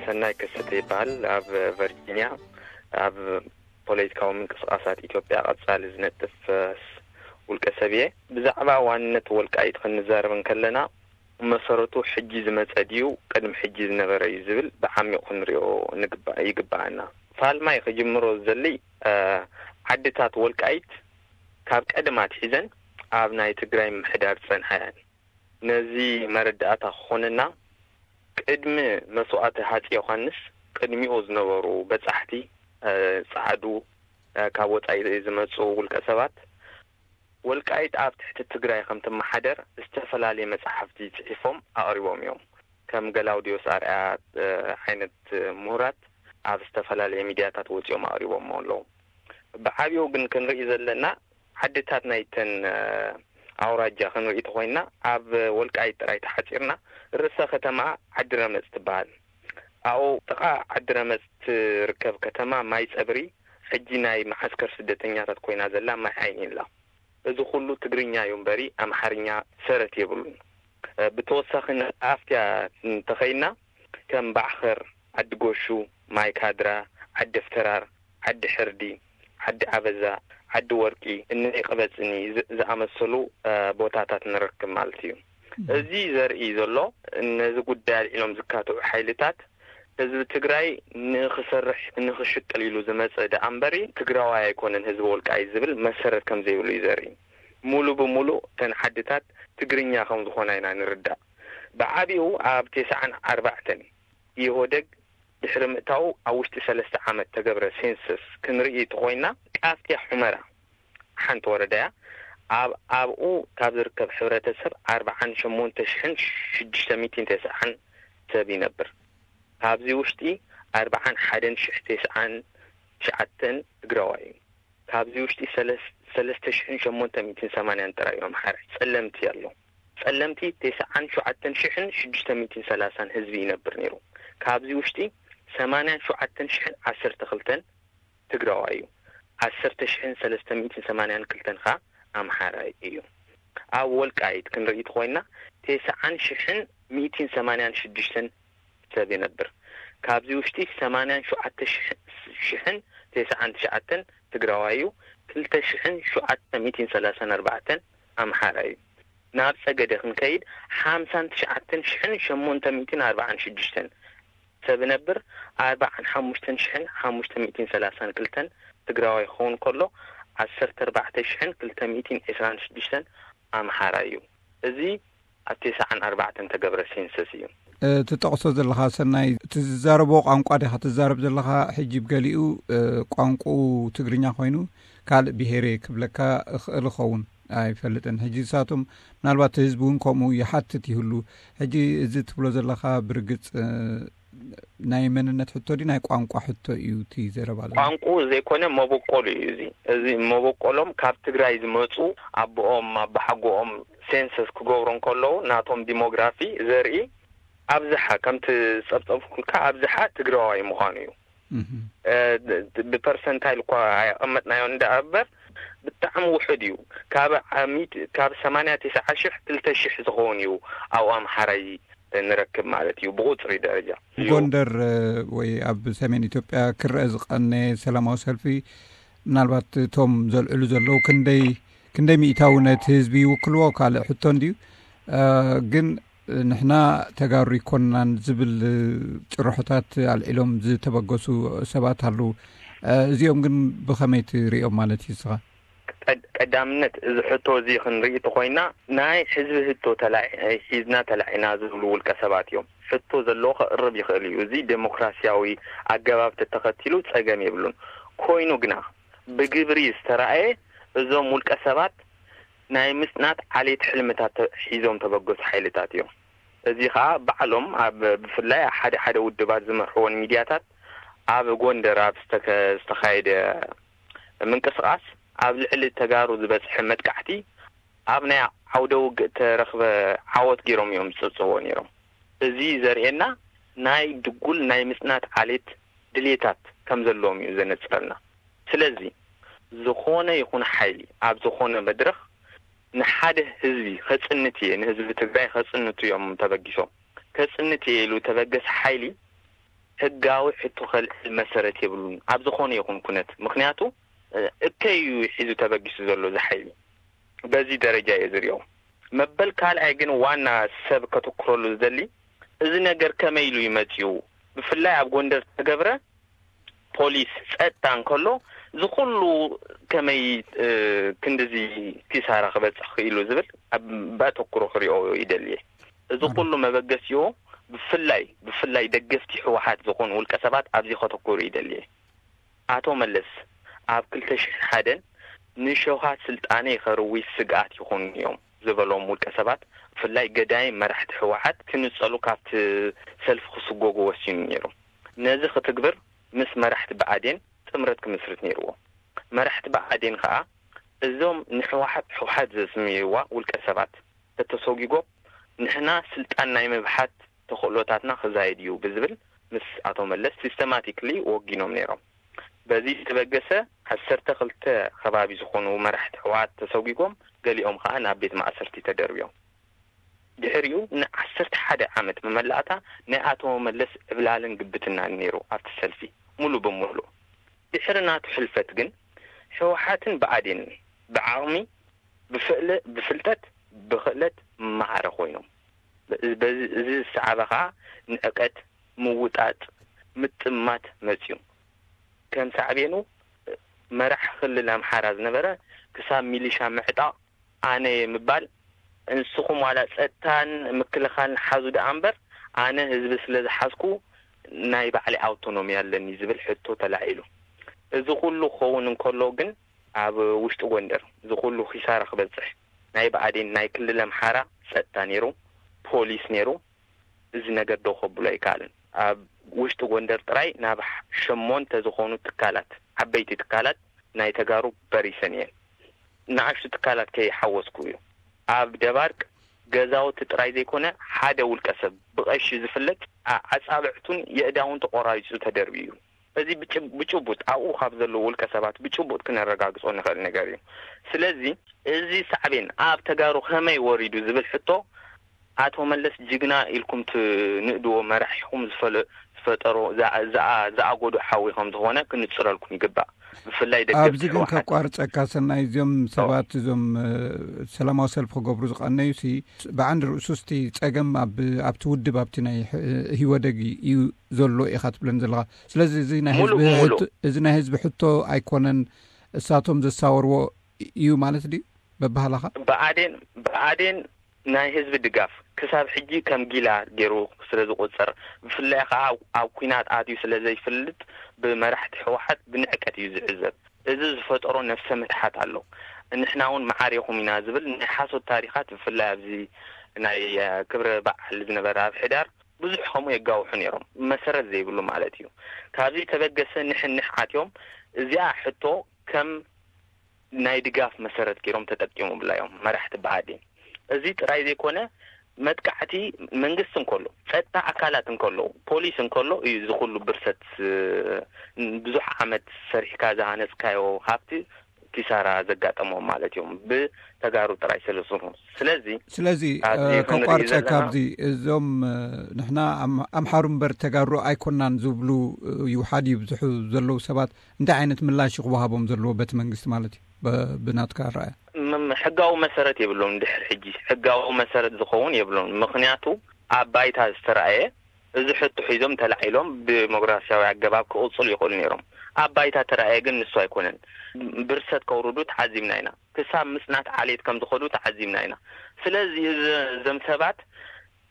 ሰናይ ከሰተ ይበሃል። ኣብ ቨርጂኒያ ኣብ ፖለቲካዊ ምንቅስቃሳት ኢትዮጵያ ቀጻሊ ዝነጥፍ ውልቀ ሰብ እየ። ብዛዕባ ዋንነት ወልቃይት ክንዛረብ እንከለና፣ መሰረቱ ሕጂ ዝመጸ ድዩ ቅድሚ ሕጂ ዝነበረ እዩ ዝብል ብዓሚቕ ክንሪኦ ንግባእ ይግባኣና። ፋልማይ ክጅምሮ ዝደሊ ዓድታት ወልቃይት ካብ ቀደም ኣትሒዘን ኣብ ናይ ትግራይ ምሕዳር ዝጸንሓ እየን። ነዚ መረዳእታ ክኾነና፣ ቅድሚ መስዋእቲ ሃጺ ዮሃንስ ቅድሚኡ ዝነበሩ በጻሕቲ፣ ጸዓዱ፣ ካብ ወጻኢ ዝመጹ ውልቀ ሰባት፣ ወልቃይት ኣብ ትሕቲ ትግራይ ከም ትመሓደር ዝተፈላለየ መጻሕፍቲ ጽሒፎም ኣቕሪቦም እዮም። ከም ገላውዲዮስ ኣርኣያ ዓይነት ምሁራት ኣብ ዝተፈላለየ ሚድያታት ወጺኦም ኣቕሪቦሞ ኣለዉ። ብዓብዩ ግን ክንርኢ ዘለና፣ ዓድታት ናይተን ኣውራጃ ክንርኢ ተኾይንና፣ ኣብ ወልቃይት ጥራይ ተሓጺርና፣ ርእሰ ከተማ ዓዲ ረመጽ ትበሃል። ኣብኡ ጥቓ ዓዲ ረመጽ ትርከብ ከተማ ማይ ጸብሪ ሕጂ ናይ መዓስከር ስደተኛታት ኮይና ዘላ ማይ ዓይኒ ኣላ። እዚ ኩሉ ትግርኛ እዩ እምበሪ ኣምሓርኛ ሰረት የብሉን። ብተወሳኺ ንኣፍትያ እንተኸይና፣ ከም ባዕኸር፣ ዓዲ ጎሹ፣ ማይ ካድራ፣ ዓዲ ፍተራር፣ ዓዲ ሕርዲ፣ ዓዲ ዓበዛ፣ ዓዲ ወርቂ፣ እነይ ቀበፅኒ ዝኣመሰሉ ቦታታት ንረክብ ማለት እዩ። እዚ ዘርኢ ዘሎ፣ ነዚ ጉዳይ ኣልዒሎም ዝካትዑ ሓይልታት ህዝቢ ትግራይ ንኽሰርሕ ንኽሽቅል ኢሉ ዝመፀ ደኣ እምበሪ ትግራዋይ ኣይኮነን ህዝቢ ወልቃይት ዝብል መሰረት ከም ዘይብሉ እዩ ዘርኢ። ሙሉ ብሙሉ እተን ዓድታት ትግርኛ ከም ዝኾና ኢና ንርዳእ። ብዓቢኡ ኣብ ተስዓን ኣርባዕተን ኢህወደግ ድሕሪ ምእታዉ ኣብ ውሽጢ ሰለስተ ዓመት ተገብረ ሴንሰስ ክንርኢ ተኾይና፣ ቃፍትያ ሑመራ ሓንቲ ወረዳ እያ። ኣብ ኣብኡ ካብ ዝርከብ ሕብረተሰብ ኣርባዓን ሸሞንተ ሽሕን ሽዱሽተ ሚእትን ተስዓን ሰብ ይነብር። ካብዚ ውሽጢ ኣርባዓን ሓደን ሽሕ ተስዓን ትሽዓተን ትግራዋይ እዩ። ካብዚ ውሽጢ ሰለስተ ሽሕን ሸሞንተ ሚእትን ሰማንያን ጥራይ እዮም ኣምሓራይ። ጸለምቲ ኣሎ። ጸለምቲ ተስዓን ሸውዓተን ሽሕን ሽዱሽተ ሚእትን ሰላሳን ህዝቢ ይነብር ነይሩ። ካብዚ ውሽጢ ሰማንያን ሸውዓተን ሽሕን ዓሰርተ ክልተን ትግራዋይ እዩ። ዓሰርተ ሽሕን ሰለስተ ሚእትን ሰማንያን ክልተን ኸኣ ኣምሓራይ እዩ። ኣብ ወልቃይት ክንርኢ ተኾይና፣ ተስዓን ሽሕን ሚእትን ሰማንያን ሽዱሽተን ሰብ ይነብር። ካብዚ ውሽጢ ሰማንያን ሸውዓተ ሽሕን ተስዓን ትሽዓተን ትግራዋይ እዩ። ክልተ ሽሕን ሸውዓተ ሚእትን ሰላሳን ኣርባዕተን ኣምሓራይ እዩ። ናብ ጸገደ ክንከይድ፣ ሓምሳን ትሽዓተን ሽሕን ሸሞንተ ሚእትን ኣርባዓን ሽዱሽተን ሰብ ነብር፣ ኣርባዓን ሓሙሽተን ሽሕን ሓሙሽተ ሚእትን ሰላሳን ክልተን ትግራዋይ ክኸውን ከሎ፣ ዓሰርተ ኣርባዕተ ሽሕን ክልተ ሚእትን ዕስራን ሽዱሽተን ኣምሓራይ እዩ። እዚ ኣብ ተስዓን ኣርባዕተን ተገብረ ሴንሰስ እዩ። ትጠቕሶ ዘለኻ ሰናይ፣ እቲ ዝዛረቦ ቋንቋ ዲኻ ትዛረብ ዘለኻ? ሕጂ ብገሊኡ ቋንቋኡ ትግርኛ ኮይኑ ካልእ ብሄር እየ ክብለካ እኽእል እኸውን፣ ኣይፈልጥን። ሕጂ ንሳቶም ምናልባት እቲ ህዝቢ እውን ከምኡ ይሓትት ይህሉ። ሕጂ እዚ ትብሎ ዘለኻ ብርግጽ ናይ መንነት ሕቶ ድዩ ናይ ቋንቋ ሕቶ እዩ እቲ ዘረባ ዘሎ? ቋንቋኡ ዘይኮነ መበቆሉ እዩ። እዚ እዚ መበቆሎም ካብ ትግራይ ዝመጹ፣ ኣቦኦም ኣባሓጎኦም ሴንሰስ ክገብሩ እንከለዉ ናቶም ዲሞግራፊ ዘርኢ ኣብዝሓ ከምቲ ዝጸብጸብኩልካ ኣብዝሓ ትግራዋይ ምዃኑ እዩ። እህ። እ፣ ብ-፣ ብፐርሰንታይል እኳ ኣየቐመጥናዮ እንዳ እበር ብጣዕሚ ውሑድ እዩ። ካብ ዓሚት፣ ካብ ሰማንያ ተስዓ ሽሕ ክልተ ሽሕ ዝኸውን እዩ ኣብኡ ኣምሓራይ ንረክብ ማለት እዩ፣ ብቁጽሪ ደረጃ እዩ። ጎንደር፣ እ፣ ወይ ኣብ ሰሜን ኢትዮጵያ ክረአ ዝቐነየ ሰላማዊ ሰልፊ፣ ምናልባት እቶም ዘልዕሉ ዘለዉ ክንደይ፣ ክንደይ ሚእታዊ ነቲ ህዝቢ ይውክልዎ ካልእ ሕቶ እንድዩ። እ፣ ግን ንሕና ተጋሩ ይኮንናን ዝብል ጭርሖታት ኣልዒሎም ዝተበገሱ ሰባት ኣለዉ። እ፣ እዚኦም ግን ብኸመይ ትሪኦም ማለት እዩ ንስኻ? ቀድ-፣ ቀዳምነት እዚ ሕቶ እዚ ክንርኢ ተኾይና፣ ናይ ህዝቢ ህቶ ተላዒ-፣ ሒዝና ተላዒና ዝብሉ ውልቀ ሰባት እዮም። ሕቶ ዘለዎ ከቕርብ ይኽእል እዩ። እዚ ዴሞክራሲያዊ ኣገባብ ተተኸቲሉ ጸገም የብሉን። ኮይኑ ግና ብግብሪ ዝተራእየ፣ እዞም ውልቀ ሰባት ናይ ምጽናት ዓሌት ሕልምታት ተ-፣ ሒዞም ተበገሱ ሓይልታት እዮም። እዚ ኸኣ ባዕሎም ኣብ፣ ብፍላይ ሓደ ሓደ ውድባት ዝመርሕዎን ሚድያታት ኣብ ጎንደር ኣብ ዝተከ-፣ ዝተኻየደ ምንቅስቓስ ኣብ ልዕሊ ተጋሩ ዝበጽሐ መጥቃዕቲ ኣብ ናይ ዓውደ ውግእ ተረኽበ ዓወት ገይሮም እዮም ዝጽብጽብዎ ነይሮም። እዚ ዘርእየና ናይ ድጉል ናይ ምጽናት ዓሌት ድሌታት ከም ዘለዎም እዩ ዘነጽረልና። ስለዚ ዝኾነ ይኹን ሓይሊ ኣብ ዝኾነ መድረኽ ንሓደ ህዝቢ ከጽንት እየ፣ ንህዝቢ ትግራይ ከጽንቱ እዮም ተበጊሶም። ከጽንት እየ ኢሉ ተበገሰ ሓይሊ ህጋዊ ሕቶ ከልዕል መሰረት የብሉን ኣብ ዝኾነ ይኹን ኩነት። ምኽንያቱ እከይ እዩ ሒዙ ተበጊሱ ዘሎ እዚ ሓይሊ። በዚ ደረጃ እየ ዝሪኦ። መበል ካልኣይ ግን ዋና ሰብ ከተኩረሉ ዝደሊ፣ እዚ ነገር ከመይ ኢሉ ይመፅዩ? ብፍላይ ኣብ ጎንደር ተገብረ ፖሊስ ጸጥታ እንከሎ፣ እዚ ኩሉ ከመይ ክንድዚ ኪሳራ ክበፅሕ ክኢሉ ዝብል በተኩሮ ክሪኦ ይደልየ። እዚ ኩሉ መበገሲኡ ብፍላይ ብፍላይ ደገፍቲ ህወሓት ዝኾኑ ውልቀ ሰባት ኣብዚ ከተኩሩ ይደልየ። ኣቶ መለስ ኣብ ክልተ ሽሕን ሓደን ንሸውሃት ስልጣነይ ከርዊ ስግኣት ይኾኑኒ እዮም ዝበሎም ውልቀ ሰባት፣ ብፍላይ ገዳይም መራሕቲ ህወሓት ክንጸሉ ካብቲ ሰልፊ ክስጎጉ ወሲኑ ነይሩ። ነዚ ክትግብር ምስ መራሕቲ ብኣዴን ጥምረት ክምስርት ነይርዎ። መራሕቲ ብኣዴን ከኣ እዞም ንህወሓት ህወሓት ዘስምይዋ ውልቀ ሰባት ተተሰጒጎም ንሕና ስልጣን ናይ ምብሓት ተኽእሎታትና ክዛየድ እዩ ብዝብል ምስ ኣቶ መለስ ሲስተማቲክሊ ወጊኖም ነይሮም። በዚ ዝተበገሰ ዓሰርተ ክልተ ከባቢ ዝኾኑ መራሕቲ ህወሓት ተሰጒጎም፣ ገሊኦም ከኣ ናብ ቤት ማእሰርቲ ተደርብዮም። ድሕሪኡ ንዓሰርተ ሓደ ዓመት መመላእታ ናይ ኣቶ መለስ ዕብላልን ግብትናን ነይሩ ኣብቲ ሰልፊ ሙሉ ብሙሉ። ድሕሪ ናቱ ሕልፈት ግን ህወሓትን ብኣዴንን ብዓቕሚ፣ ብፍእለ- ብፍልጠት፣ ብኽእለት ማዕረ ኮይኖም። በዚ- እዚ ዝሰዓበ ከኣ ንዕቀት፣ ምውጣጥ፣ ምጥማት መጽዩ። ከም ሳዕቤኑ መራሕ ክልል ኣምሓራ ዝነበረ ክሳብ ሚሊሻ ምዕጣቕ ኣነ እየ ምባል፣ ንስኹም ዋላ ጸጥታን ምክልኻልን ሓዙ ደኣ እምበር ኣነ ህዝቢ ስለ ዝሓዝኩ ናይ ባዕለይ ኣውቶኖሚ ኣለኒ ዝብል ሕቶ ተላዒሉ። እዚ ኩሉ ክኸውን እንከሎ ግን ኣብ ውሽጢ ጎንደር እዚ ኩሉ ኪሳራ ክበጽሕ ናይ ብኣዴን ናይ ክልል ኣምሓራ ጸጥታ ነይሩ፣ ፖሊስ ነይሩ፣ እዚ ነገር ደው ከብሎ ኣይከኣልን። ኣብ ውሽጢ ጎንደር ጥራይ ናብ ሸሞንተ ዝኾኑ ትካላት፣ ዓበይቲ ትካላት ናይ ተጋሩ በሪሰን እየን። ንኣሽቱ ትካላት ከይሓወስኩ እዩ። ኣብ ደባርቅ ገዛውቲ ጥራይ ዘይኮነ ሓደ ውልቀ ሰብ ብቐሺ ዝፍለጥ ኣ- ኣጻብዕቱን የእዳውን ተቆራሪጹ ተደርብዩ እዩ። እዚ ብጭ- ብጭቡጥ ኣብኡ ካብ ዘለዉ ውልቀ ሰባት ብጭቡጥ ክነረጋግጾ ንኽእል ነገር እዩ። ስለዚ እዚ ሳዕቤን ኣብ ተጋሩ ከመይ ወሪዱ ዝብል ሕቶ ኣቶ መለስ ጅግና ኢልኩም ትንእድዎ መራሒኹም ዝፈለ- ዝፈጠሮ ዝኣ- ዝኣ- ዝኣጎዶ ሓዊ ከም ዝኾነ ክንጽረልኩም ይግባእ። ብፍላይ ደገፍቲ ኣብዚ ግን ህወሓት። ከቋርፀካ ሰናይ፣ እዚኦም ሰባት እዞም እ፣ ሰላማዊ ሰልፊ ክገብሩ ዝቐነዩ ሲ ብዓንዲ ርእሱ ስቲ ፀገም ኣብ ኣብቲ ውድብ ኣብቲ ናይ ሕ- ህወደግ እዩ ዘሎ ኢኻ ትብለን ዘለኻ። ስለዚ እዚ ናይ ሙሉእ ህዝቢ ሙሉእ። ሕቶ- እዚ ናይ ህዝቢ ሕቶ ኣይኮነን፣ እሳቶም ዘሳወርዎ እዩ ማለት ድዩ በባህላኻ? ብኣዴን ብኣዴን ናይ ህዝቢ ድጋፍ ክሳብ ሕጂ ከም ጊላ ገይሩ ስለ ዝቆጽር፣ ብፍላይ ከኣ ኣብ ኲናት ኣትዩ ስለ ዘይፈልጥ ብመራሕቲ ህወሓት ብንዕቀት እዩ ዝዕዘብ። እዚ ዝፈጠሮ ነፍሰ ምትሓት ኣሎ። ንሕና እውን መዓር ኢኹም ኢና ዝብል ናይ ሓሶት ታሪኻት ብፍላይ ኣብዚ ናይ ክብረ በዓል ዝነበረ ኣብ ሕዳር ብዙሕ ከምኡ የጋውሑ ነይሮም፣ መሰረት ዘይብሉ ማለት እዩ። ካብዚ ተበገሰ ንሕንሕ ኣትዮም እዚኣ ሕቶ ከም ናይ ድጋፍ መሰረት ገይሮም ተጠቂሙብላ እዮም መራሕቲ ብኣዴን። እዚ ጥራይ ዘይኮነ መጥቃዕቲ መንግስቲ እንከሎ፣ ፀጥታ ኣካላት እንከሎ፣ ፖሊስ እንከሎ እዩ እዚ ኩሉ ብርሰት ብዙሕ ዓመት ሰሪሕካ ዝሃነፅካዮ ሃብቲ ኪሳራ ዘጋጠሞም ማለት እዮም ብተጋሩ ጥራይ ስለዝኾኑ። ስለዚ ስለዚ ኣብዚ ክንርኢ ከቋርፀ ዘለና ካብዚ እዞም ንሕና ኣምሓሩ እምበር ተጋሩ ኣይኮናን ዝብሉ ይውሓድ ይብዝሑ ዘለዉ ሰባት እንታይ ዓይነት ምላሽ ክወሃቦም ዘለዎ በቲ መንግስቲ ማለት እዩ? ብናትካ ኣረኣያ ሕጋዊ መሰረት የብሎም። ድሕር ሕጂ ሕጋዊ መሰረት ዝኸውን የብሎም። ምክንያቱ ኣብ ባይታ ዝተረኣየ እዚ ሕቶ ሒዞም ተላዒሎም ብዲሞክራሲያዊ ኣገባብ ክቕፅሉ ይኽእሉ ነይሮም። ኣብ ባይታ ተረኣየ ግን ንሱ ኣይኮነን። ብርሰት ከውርዱ ተዓዚብና ኢና። ክሳብ ምፅናት ዓሌት ከም ዝኸዱ ተዓዚብና ኢና። ስለዚ እዞም ሰባት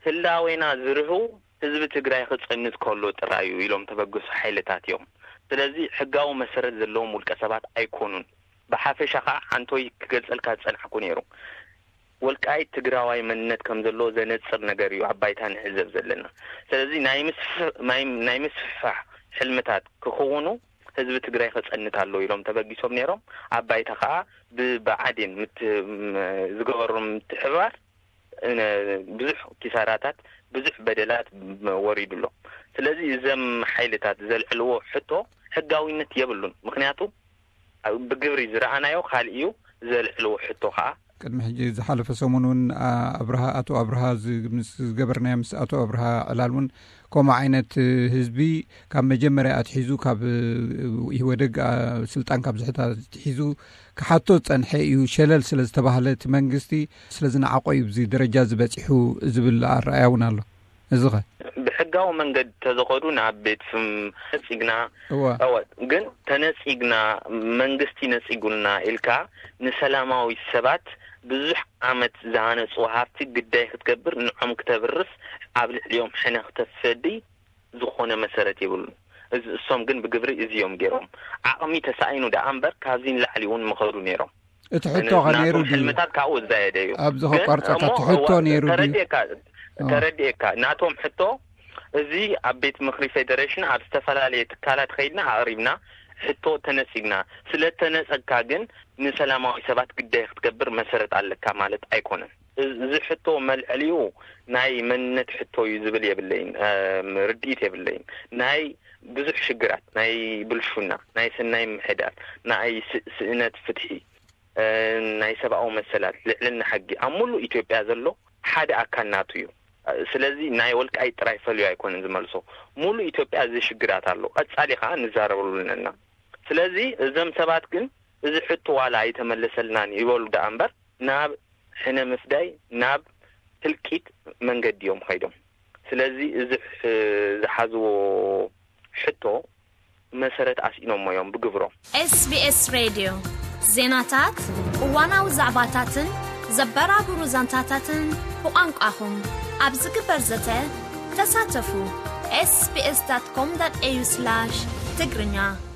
ህላዌና ዝርህው ህዝቢ ትግራይ ክፀንት ከሎ ጥራይ እዩ ኢሎም ተበገሱ ሓይልታት እዮም። ስለዚ ሕጋዊ መሰረት ዘለዎም ውልቀ ሰባት ኣይኮኑን። ብሓፈሻ ከዓ ሓንቶይ ክገልፀልካ ዝፀናሕኩ ነይሩ። ወልቃይት ትግራዋይ መንነት ከም ዘለዎ ዘነፅር ነገር እዩ ኣብ ባይታ ንዕዘብ ዘለና። ስለዚ ናይ ምስፍሕ ሕልምታት ክኽውኑ ህዝቢ ትግራይ ክፀንት ኣለዎ ኢሎም ተበጊሶም ነይሮም። ኣብ ባይታ ከዓ ብብዓዴን ዝገበሮም ምትሕብባር ብዙሕ ኪሳራታት፣ ብዙሕ በደላት ወሪዱ ኣሎ። ስለዚ እዘም ሓይልታት ዘልዕልዎ ሕቶ ሕጋዊነት የብሉን። ምክንያቱ ብግብሪ ዝረኣናዮ ካልእ እዩ፣ ዘልዕልዎ ሕቶ ከዓ ቅድሚ ሕጂ ዝሓለፈ ሰሙን እውን ኣብርሃ ኣቶ ኣብርሃ ምስ ዝገበርናዮ ምስ ኣቶ ኣብርሃ ዕላል እውን ከምኡ ዓይነት ህዝቢ ካብ መጀመርያ ኣትሒዙ ካብ ኢህወደግ ስልጣን ካብ ዝሕታ ኣትሒዙ ክሓቶ ዝፀንሐ እዩ። ሸለል ስለ ዝተባህለ እቲ መንግስቲ ስለ ዝነዓቆ እዩ ብዚ ደረጃ ዝበፂሑ ዝብል ኣረኣያ እውን ኣሎ። እዚ ኸ? ብሕጋዊ መንገዲ ተዘኸዱ ናብ ቤት ፍም ነፂግና እወ። እወ፣ ግን ተነፂግና መንግስቲ ነፂጉልና ኢልካ ንሰላማዊ ሰባት ብዙሕ ዓመት ዝሃነፅዎ ሃብቲ ግዳይ ክትገብር ንዖም ክተብርስ ኣብ ልዕሊኦም ሕነ ክተፍዲ ዝኾነ መሰረት የብሉን። እዚ እሶም ግን ብግብሪ እዚ እዮም ገይሮም። ዓቕሚ ተሳኢኑ ደኣ እምበር ካብዚ ንላዕሊ እውን ምኸዱ ነይሮም። እቲ ሕቶ ኸ ነይሩ ናቶም ድዩ? ሕልምታት ካብኡ ዝዛየደ እዩ። ኣብዚ ግን ከቋርፀካ እሞ እቲ ሕቶ እዋ ነይሩ ድዩ? ተረዲእካ እ። ተረዲእካ ናቶም ሕቶ እዚ ኣብ ቤት ምክሪ ፌደሬሽን ኣብ ዝተፈላለየ ትካላት ኸይድና ኣቕሪብና ሕቶ ተነፂግና። ስለ ተነፀግካ ግን ንሰላማዊ ሰባት ግዳይ ክትገብር መሰረት ኣለካ ማለት ኣይኮነን። እዚ ሕቶ መልዕሊኡ ናይ መንነት ሕቶ እዩ ዝብል የብለይን። እም፣ ርድኢት የብለይን። ናይ ብዙሕ ሽግራት፣ ናይ ብልሹና፣ ናይ ሰናይ ምሕዳር፣ ናይ ስ-፣ ስእነት ፍትሒ፣ እ፣ ናይ ሰብኣዊ መሰላት፣ ልዕልና ሕጊ ኣብ ሙሉእ ኢትዮጵያ ዘሎ ሓደ ኣካል ናቱ እዩ። ስለዚ ናይ ወልቃይት ጥራይ ፈልዩ ኣይኮነን ዝመልሶ። ሙሉእ ኢትዮጵያ እዚ ሽግራት ኣሎ። ቀጻሊ ኸዓ ንዛረበሉ ኣለና። ስለዚ እዞም ሰባት ግን እዚ ሕቶ ዋላ ኣይተመለሰልናን ይበሉ ደኣ እምበር ናብ ሕነ ምፍዳይ፣ ናብ ህልቂት መንገዲ እዮም ኸይዶም። ስለዚ እዚ ሕ-፣ ዝሓዝዎ ሕቶ መሰረት ኣስኢኖሞ እዮም ብግብሮም። SBS ሬድዮ ዜናታት፣ እዋናዊ ዛዕባታትን ዘበራብሩ ዛንታታትን ብቋንቋኹም ኣብ ዝግበር ዘተ ተሳተፉ። SBS.com.au/ትግርኛ